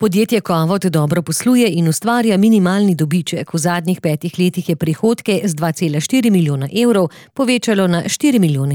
Podjetje Kovot dobro posluje in ustvarja minimalni dobiček. V zadnjih 5 letih je prihodke z 2,4 milijona evrov povečalo na 4,5 milijona.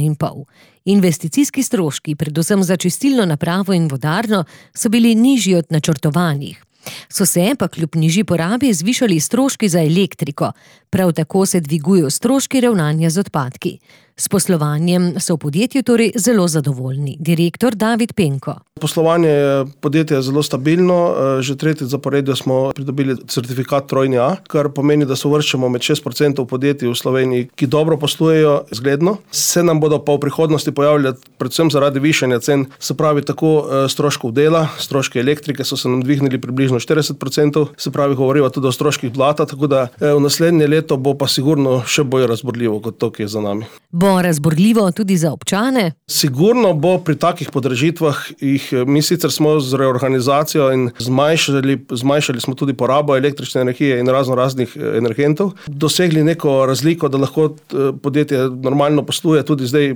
Investicijski stroški, predvsem za čistilno napravo in vodarno, so bili nižji od načrtovanih. So se pa kljub nižji porabi zvišali stroški za elektriko. Prav tako se dvigujejo stroški ravnanja z odpadki. S poslovanjem so v podjetju torej zelo zadovoljni. Direktor David Penko. Poslovanje podjetja je zelo stabilno. Že tretjič zaporedjo smo pridobili certifikat trojni A, kar pomeni, da se uvrščamo med 6% podjetij v Sloveniji, ki dobro poslujejo zgledno. Se nam bodo pa v prihodnosti pojavljali predvsem zaradi višanja cen, se pravi tako stroškov dela, stroški elektrike so se nam dvignili približno 40%, se pravi govoriva tudi o stroških blata, tako da v naslednje leto bo pa sigurno še bolj razburljivo kot to, ki je za nami. Bo razburljivo tudi za občane? Sigurno bo pri takih podražitvah mi sicer smo z reorganizacijo in zmanjšali smo tudi porabo električne energije in raznih energentov, dosegli neko razliko, da lahko podjetje normalno posluje, tudi zdaj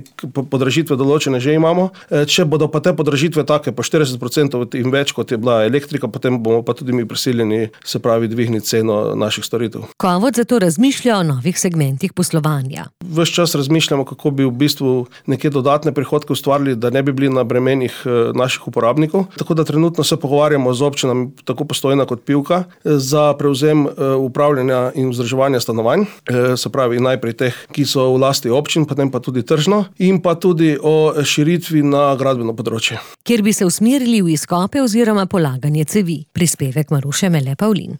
podražitve določene že imamo. Če bodo pa te podražitve take po 40% in več, kot je bila elektrika, potem bomo pa tudi mi prisiljeni, se pravi, dvigniti ceno naših storitev. Kovot zato razmišlja o novih segmentih poslovanja. Ves čas razmišljamo, kako bi v bistvu neke dodatne prihodke ustvarili, da ne bi bili na bremenih naših uporabnikov. Tako da trenutno se pogovarjamo z občinami, tako Postojna kot Pivka, za prevzem upravljanja in vzdrževanja stanovanj, se pravi najprej teh, ki so v lasti občin, potem pa tudi tržno, in pa tudi o širitvi na gradbeno področje. Kjer bi se usmerili v izkope oziroma polaganje cevi. Prispevek Maruše Mele Pavlin.